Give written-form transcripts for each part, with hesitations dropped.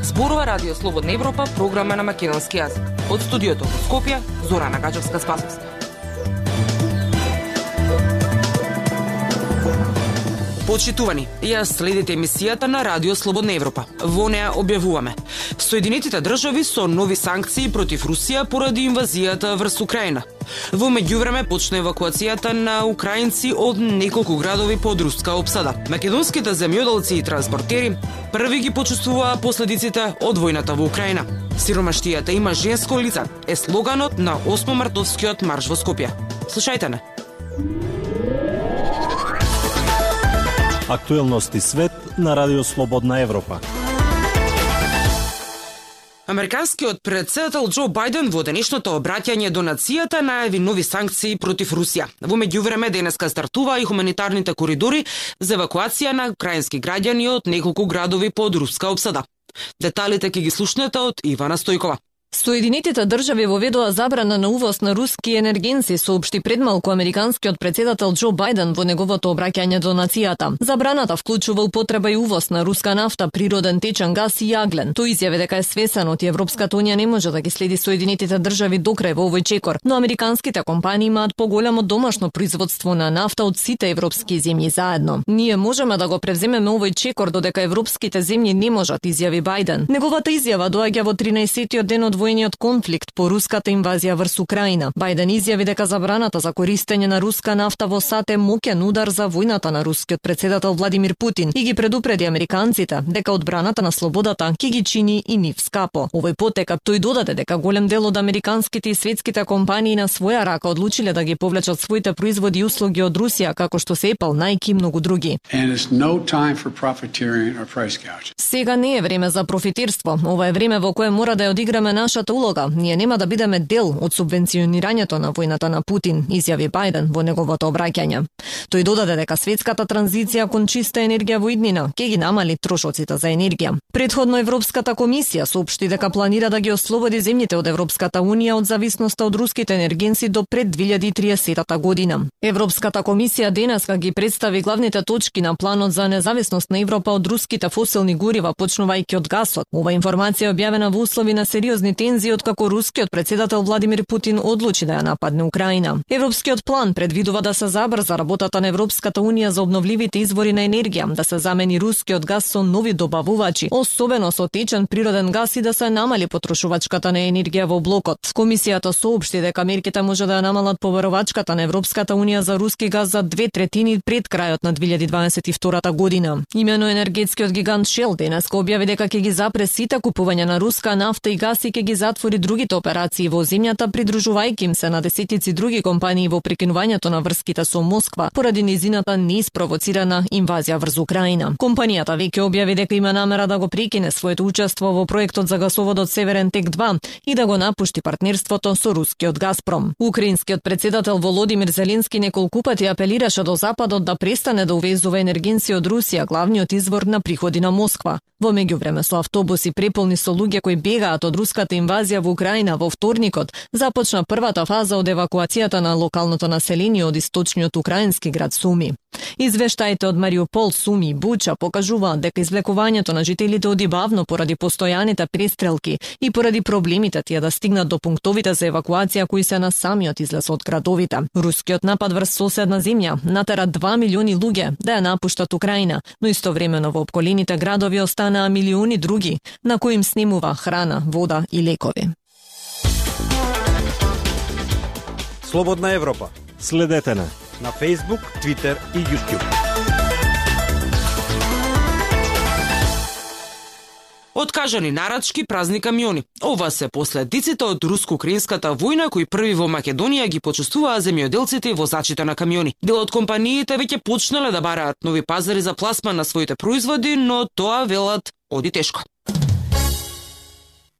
Зборува Радио Слободна Европа, програма на македонски јазик. Од студиото во Скопје, Зорана Гаџевска-Спасовска. Почитувани, ја следите емисијата на Радио Слободна Европа. Во неа објавуваме: Соединетите држави со нови санкции против Русија поради инвазијата врз Украина. Во меѓувреме почна евакуацијата на украинци од неколку градови под руска опсада. Македонските земјоделци и транспортери први ги почувствуваа последиците од војната во Украина. Сиромаштијата има женско лице е слоганот на 8 мартовскиот марш во Скопје. Слушајте не. Актуелности свет на Радио Слободна Европа. Американскиот претседател Џо Бајден во денешното обраќање до нацијата најави нови санкции против Русија. Во меѓувреме денеска стартува и хуманитарните коридори за евакуација на украински граѓани од неколку градови под руска опсада. Деталите ќе ги слушнете од Ивана Стојкова. Соединетите држави воведоа забрана на увоз на руски енергенци, соопшти предмалку американскиот претседател Џо Бајден во неговото обраќање до нацијата. Забраната вклучува употреба и увоз на руска нафта, природен течен гас и јаглен. Тој изјави дека е свесен од Европската унија не може да ги следи Соединетите држави до крај во овој чекор, но американските компании имаат поголемо домашно производство на нафта од сите европски земји заедно. Ние можеме да го превземеме овој чекор додека европските земји не можат, изјави Бајден. Неговата изјава доаѓа во 13-тиот ден од војниот конфликт по руската инвазија врз Украина. Бајден изјави дека забраната за користење на руска нафта во САД е моќен удар за војната на рускиот претседател Владимир Путин и ги предупреди американците дека одбраната на слободата ќе ги чини и нив скапо. Овој потекат тој додаде дека голем дел од американските и светските компании на своја рака одлучиле да ги повлечат своите производи и услуги од Русија, како што се Apple, Nike и многу други. Сега не е време за профитирство. Ова е време во кое мора да ја одиграме нашата улога. Ние нема да бидеме дел од субвенционирањето на војната на Путин, изјави Бајден во неговото обраќање. Тој додаде дека светската транзиција кон чиста енергија во иднина ќе ги намали трошоците за енергија. Предходно Европската комисија соопшти дека планира да ги ослободи земјите од Европската унија од зависноста од руските енергенци до пред 2030 година. Европската комисија денеска ги представи главните точки на планот за независност на Европа од руските фосилни горива, почнувајќи од гасот. Ова информација е објавена во услови на сериозни тензии откако рускиот претседател Владимир Путин одлучи да ја нападне Украина. Европскиот план предвидува да се забрза работата на Европската унија за обновливите извори на енергија, да се замени рускиот газ со нови добавувачи, особено со течен природен газ и да се намали потрошувачката на енергија во блокот. Комисијата соопшти дека мерките може да ја намалат поверувачката на Европската унија за руски газ за 2/3 пред крајот на 2022 година. Имено енергетскиот гигант Shell денеска објави дека ќе ги запре сите купувања на руска нафта и газ и ќе ги затвори другите операции во земјата, придружувајќи им се на десетици други компании во прекинувањето на врските со Москва поради низината неиспровоцирана инвазија врз Украина. Компанијата веќе објави дека има намера да го прекине своето учество во проектот за гасоводот Северен тек 2 и да го напушти партнерството со рускиот Газпром. Украинскиот претседател Володимир Зеленски неколку пати апелираше до Западот да престане да увезува енергенци од Русија, главниот извор на приходи на Москва. Во меѓувреме со автобуси преполни со луѓе кои бегаат од руската инвазија во Украина во вторникот, започна првата фаза од евакуацијата на локалното население од источниот украински град Суми. Извештаите од Мариупол, Суми и Буча покажуваат дека извлекувањето на жителите оди бавно поради постојаните престрелки и поради проблемите тие да стигнат до пунктовите за евакуација кои се на самиот излез од градовите. Рускиот напад врз соседна земја натера 2 милиони луѓе да ја напуштат Украина, но истовремено во обколените градови останаа милиони други на кои им снемува храна, вода и лекови. Слободна Европа. Следете на Facebook, Twitter и YouTube. Откажани нарачки, празни камиони. Ова се последиците од руско-украинската војна кои први во Македонија ги почувствуваа земјоделците и возачите на камиони. Дел од компаниите веќе почнале да бараат нови пазари за пласман на своите производи, но тоа велат оди тешко.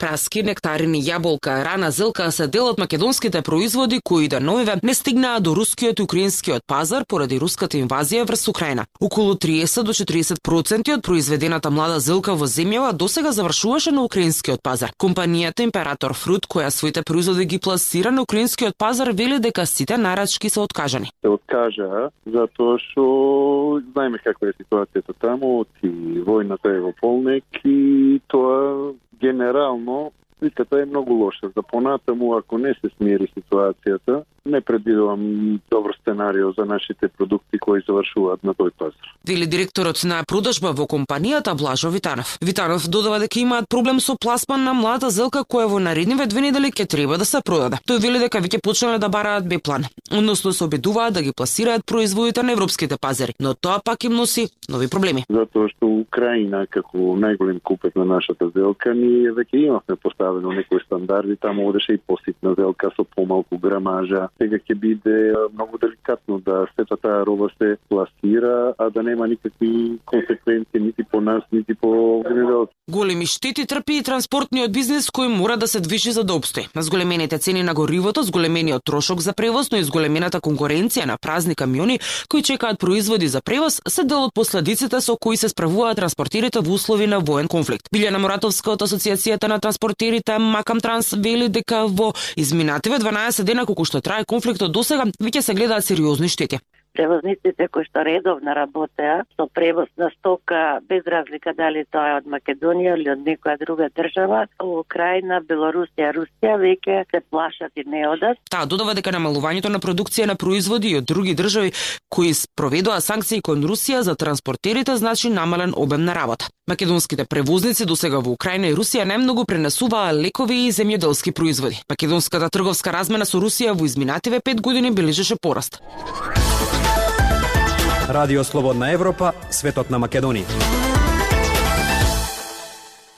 Праски, нектарини, јаболка, рана, зелка се дел од македонските производи кои до новиве не стигнаа до рускиот и украинскиот пазар поради руската инвазија врз Украина. Околу 30 до 40% од произведената млада зелка во земјава досега завршуваше на украинскиот пазар. Компанијата Император Фрут, која своите производи ги пласира на украинскиот пазар, вели дека сите нарачки се откажани. Се откажа затоа што знаеме каква е ситуацијата таму, и војната е во полнек и тоа генерално сликата е многу лоша. За понатаму, ако не се смири ситуацијата, не предвидувам добро сценарио за нашите продукти кои завршуваат на тој пазар. Вели директорот на продажба во компанијата Блажо Витанов. Витанов додава дека имаат проблем со пласман на млада зелка која во наредниве 2 недели ќе треба да се продаде. Тој вели дека веќе почнале да бараат Б-план, односно се обидуваат да ги пласираат производите на европските пазари, но тоа пак им носи нови проблеми. Затоа што Украина како најголем купец на нашата зелка, ние веќе имавме поставено некои стандарди, таму одеше и поситна зелка со помалку грамажа. Сега ќе биде многу деликатно да сета таа роба се пласира, а да нема никакви консеквенции нити по нас, нити по земјоделци. Големи штети трпи и транспортниот бизнес кој мора да се движи за да обстои. Зголемените цени на горивото, зголемениот трошок за превоз, но и зголемената конкуренција на празни камиони кои чекаат производи за превоз се дел од последиците со кои се справуваат транспортерите во услови на воен конфликт. Билјана Моратовска од Асоциацијата на транспортерите Макам Транс вели дека во изминативе 12 дена колку што трае конфликтот досега, веќе се гледаат сериозни штети. Превозниците кои што редовно работеа со превоз на стока, без разлика дали тоа е од Македонија или од некоја друга држава, Украина, Белорусија, Русија, веќе се плашат и не одат. Таа додава дека намалувањето на продукција на производи од други држави кои спроведоа санкции кон Русија за транспортерите значи намален обем на работа. Македонските превозници досега во Украина и Русија најмногу пренесуваа лекови и земјоделски производи. Македонската трговска размена со Русија во изминативе 5 години бележеше пораст. Радио Слободна Европа, светот на Македонија.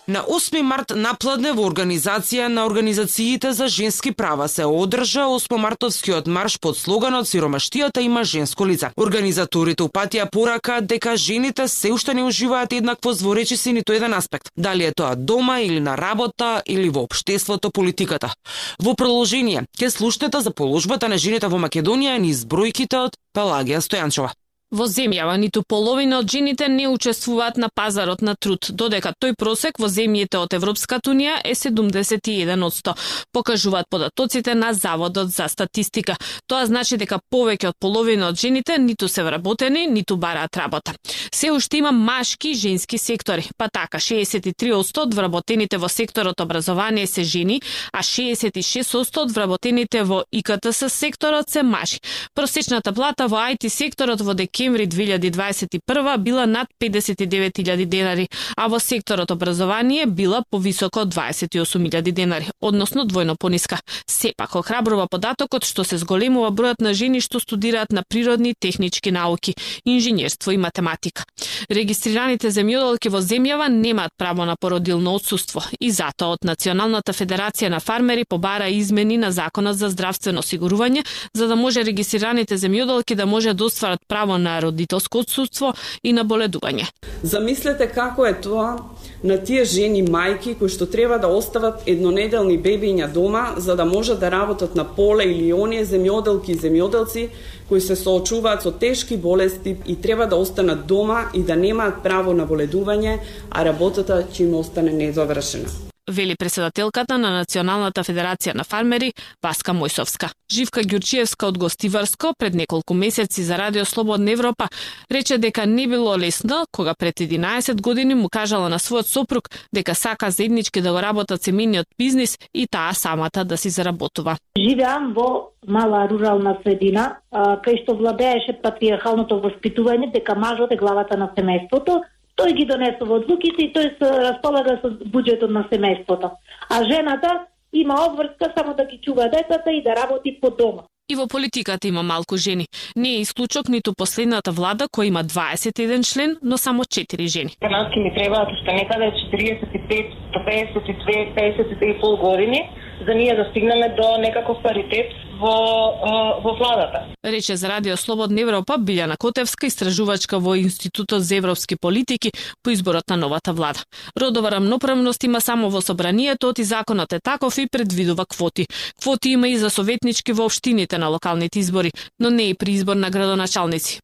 На 8 март напладне во организација на организациите за женски права се одржа 8-мартовскиот марш под слоганот "Сиромаштијата има женско лице". Организаторите упатија порака дека жените се уште не уживаат еднаквост во речиси ниту еден аспект, дали е тоа дома или на работа или во општеството, политиката. Во продолжение ќе слушнете за положбата на жените во Македонија низ бројките од Пелагија Стојанчова. Во земјава ниту половина од жените не учествуваат на пазарот на труд, додека тој просек во земјите од Европската унија е 71%, покажуваат податоците на Заводот за статистика. Тоа значи дека повеќе од половина од жените ниту се вработени, ниту бараат работа. Се уште има машки и женски сектори, па така 63% од вработените во секторот образование се жени, а 66% од вработените во ИКТС секторот се мажи. Просечната плата во IT секторот во декември 2021 била над 59.000 денари, а во секторот образование била повисоко од 28.000 денари, односно двојно пониска. Сепак охрабрува податокот што се зголемува бројот на жени што студираат на природни и технички науки, инженерство и математика. Регистрираните земјоделки во земјава немаат право на породилно отсуство и затоа од Националната федерација на фармери побара измени на Законот за здравствено осигурување за да може регистрираните земјоделки да може да остварат право на родителско отсуство и на боледување. Замислете како е тоа на тие жени мајки кои што треба да остават еднонеделни бебиња дома за да можат да работат на поле или оние земјоделки и земјоделци кои се соочуваат со тешки болести и треба да останат дома и да немаат право на боледување, а работата ќе им остане незавршена. Вели председателката на Националната федерација на фармери Васка Мојсовска. Живка Ѓурчиевска од Гостиварско пред неколку месеци за Радио Слободна Европа рече дека не било лесно кога пред 11 години му кажала на својот сопруг дека сака заеднички да го работат семејниот бизнис и таа самата да си заработува. Живеам во мала рурална средина, кај што владееше патриархалното воспитување дека мажот е главата на семејството. Тој ги донесува одлуките и тој се располага со буџетот на семејството. А жената има обврска само да ги чува децата и да работи по дома. И во политиката има малку жени. Не е исклучок ниту последната влада која има 21 член, но само 4 жени. Канадски ми требаат уште некаде 45 до 52, 53,5 години за ние да стигнеме до некаков паритет во владата. Рече за Радио Слободна Европа Билјана Котевска, истражувачка во Институтот за европски политики по изборот на новата влада. Родова рамноправност има само во собранието, и законот е таков и предвидува квоти. Квоти има и за советнички во општините на локалните избори, но не и при избор на градоначалници.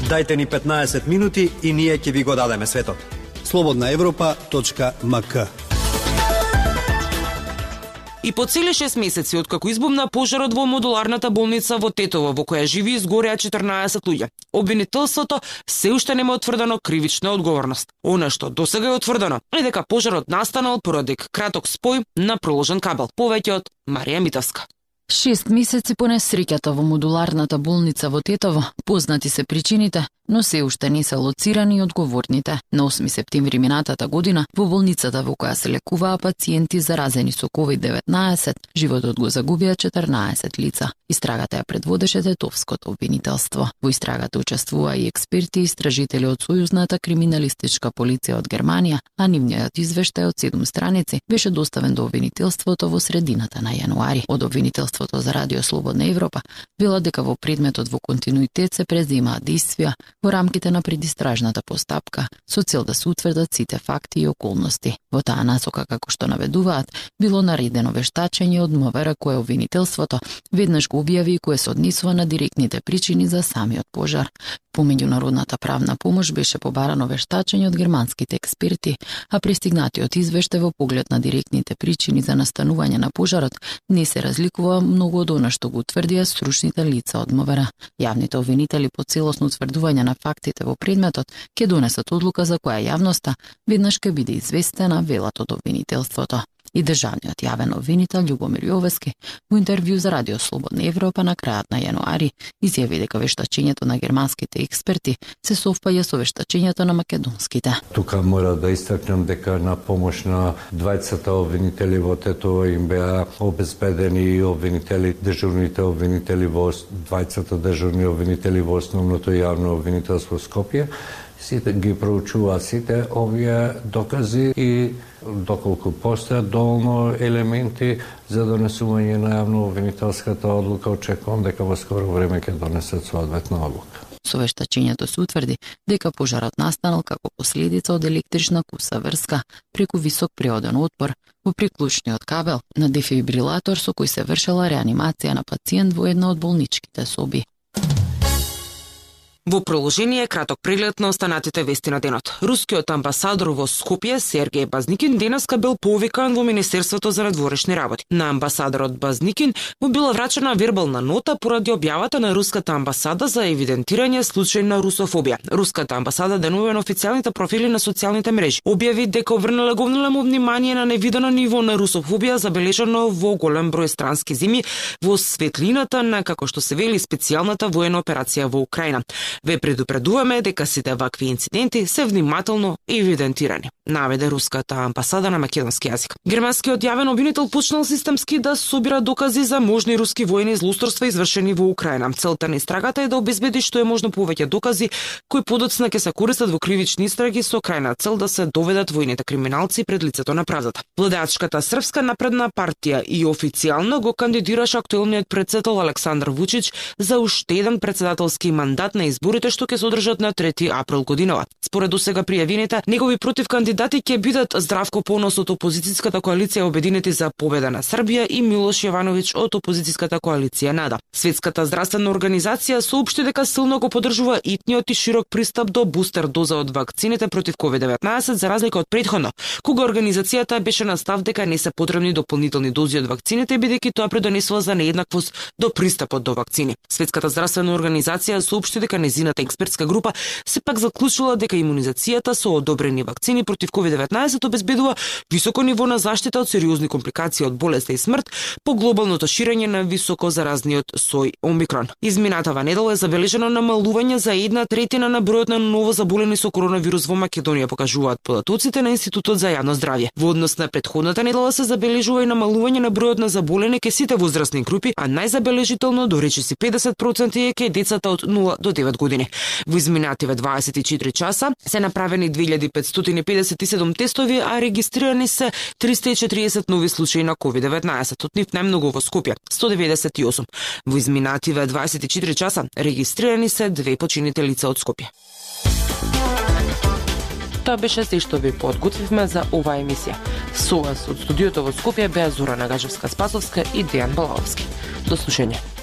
Дајте ни 15 минути и ние ќе ви го дадеме светот. slobodnaevropa.mk. И по цели 6 месеци откако избумна пожарот во модуларната болница во Тетово, во која живи изгореа 14 луѓе, обвинителството се уште нема утврдено кривична одговорност. Она што досега е утврдено е дека пожарот настанал поради краток спој на проложен кабел. Повеќе од Марија Митовска. 6 месеци по несреќата во модуларната болница во Тетово, познати се причините, но се уште не се лоцирани одговорните. На 8 септември минатата година, во болницата во која се лекуваа пациенти заразени со COVID-19, животот го загубија 14 лица. Истрагата ја предводеше тетовското обвинителство. Во истрагата учествуваа и експерти и истражители од Сојузната криминалистичка полиција од Германија, а нивниот извештај од 7 страници беше доставен до обвинителството во средината на јануари. Од обвинителството за Радио Слободна Европа вела дека во предметот во континуитет се преземаат действија во рамките на предистражната постапка со цел да се утврдат сите факти и околности. Во таа насока, како што наведуваат, било наредено вештачење од МВР кое обвинителството веднаш го објави и кое се однесува на директните причини за самиот пожар. По меѓународната правна помош беше побарано вештачење од германските експерти, а пристигнатиот извештај во поглед на директните причини за настанување на пожарот не се разликува многу од она што го утврдија стручните лица од МВР. Јавните обвинители по целосно утврдување на фактите во предметот ќе донесат одлука за која јавноста веднаш ќе биде известена, велат од обвинителството. И државниот јавен обвинител Љубомир Јовески во интервју за Радио Слободна Европа на крајот на јануари изјави дека вештачењето на германските експерти се совпаѓа со вештачењето на македонските. Тука мора да истакнем дека на помош на двајцата обвинители во Тетово им беа обезбедени и обвинители, дежурните обвинители во двајцата дежурни обвинители во основното јавно обвинителство Скопје. Сите ги проучуваат сите овие докази и доколку постојат доволно елементи за донесување на јавно обвинителската одлука, очекувам дека во скоро време ќе донесат соодветна одлука. Со вештачењето се утврди дека пожарот настанал како последица од електрична куса врска преку висок приоден отпор во приклучниот кабел на дефибрилатор со кој се вршела реанимација на пациент во една од болничките соби. Во продолжение краток преглед на останатите вести на денот. Рускиот амбасадор во Скопје Сергеј Базникин денеска бил повикан во Министерството за надворешни работи. На амбасадорот Базникин му била врачена вербална нота поради објавата на руската амбасада за евидентирање случај на русофобија. Руската амбасада денува на официјалните профили на социјалните мрежи објави дека обрнала големо внимание на невидено ниво на русофобија забележано во голем број странски земји во светлината на, како што се вели, специјалната воена операција во Украина. Ве предупредуваме дека сите вакви инциденти се внимателно евидентирани, наведе руската амбасада на македонски јазик. Германскиот јавен обвинител почнал системски да собира докази за можни руски воени злоусторства извршени во Украина. Целта на истрагата е да обезбеди што е можно повеќе докази кои подоцна ќе се користат во кривични истраги со крајна цел да се доведат војните криминалци пред лицето на правдата. Владеачката Српска напредна партија и официјално го кандидираше актуелниот претседател Александар Вучич за уште еден претседателски мандат на изборите што ќе се одржат на 3 април годинава. Според досега пријавените, негови противкандидати ќе бидат Здравко Понос од опозицијската коалиција Обединети за победа на Србија и Милош Јовановиќ од опозицијската коалиција НАДА. Светската здравствена организација соопшти дека силно го поддржува итниот и широк пристап до бустер доза од вакцините против COVID-19 за разлика од претходно, кога организацијата беше на став дека не се потребни дополнителни дози од вакцините бидејќи тоа придонесува за нееднаквост до пристапот до вакцини. Светската здравствена организација соопшти дека незината експертска група сепак заклучила дека имунизацијата со одобрени вакцини против COVID-19 обезбедува високо ниво на заштита од сериозни компликации од болест и смрт по глобалното ширење на високо заразниот сој Омикрон. Изминатава недела е забележено намалување за 1/3 на бројот на ново заболени со коронавирус во Македонија, покажуваат податоците на Институтот за јавно здравје. Во однос на претходната недела се забележува и намалување на бројот на заболени кај сите возрастни групи, а најзабележително до речиси 50% е кај децата од 0 до 9 години. Во изминативе 24 часа се направени 2557 тестови, а регистрирани се 340 нови случаи на COVID-19. Од нив најмногу во Скопје 198. Во изминативе 24 часа регистрирани се 2 починете лица од Скопје. Тоа беше се што ви подготвивме за оваа емисија. Со вас од студиото во Скопје беа Зора Нагажевска-Спасовска и Дејан Балаовски. До слушање.